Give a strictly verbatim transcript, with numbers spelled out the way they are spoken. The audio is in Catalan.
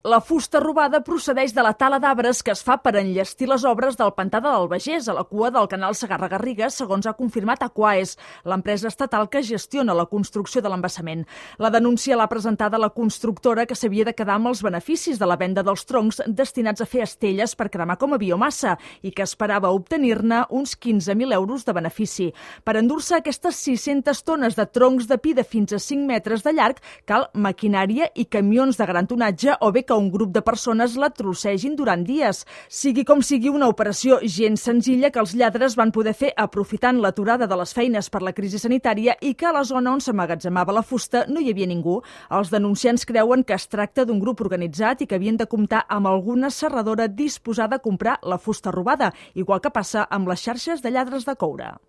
La fusta robada procedeix de la tala d'arbres que es fa per enllestir les obres del pantà de l'Albagés, a la cua del canal Segarra-Garrigues, segons ha confirmat Aquaes, l'empresa estatal que gestiona la construcció de l'embassament. La denúncia l'ha presentada la constructora, que s'havia de quedar amb els beneficis de la venda dels troncs destinats a fer estelles per cremar com a biomassa i que esperava obtenir-ne uns quinze mil euros de benefici. Per endur-se aquestes sis-centes tones de troncs de pi de fins a cinc metres de llarg cal maquinària i camions de gran tonatge o bé que un grup de persones la trossegin durant dies. Sigui com sigui, una operació gens senzilla que els lladres van poder fer aprofitant l'aturada de les feines per la crisi sanitària i que a la zona on s'emmagatzemava la fusta no hi havia ningú. Els denunciants creuen que es tracta d'un grup organitzat i que havien de comptar amb alguna serradora disposada a comprar la fusta robada, igual que passa amb les xarxes de lladres de coure.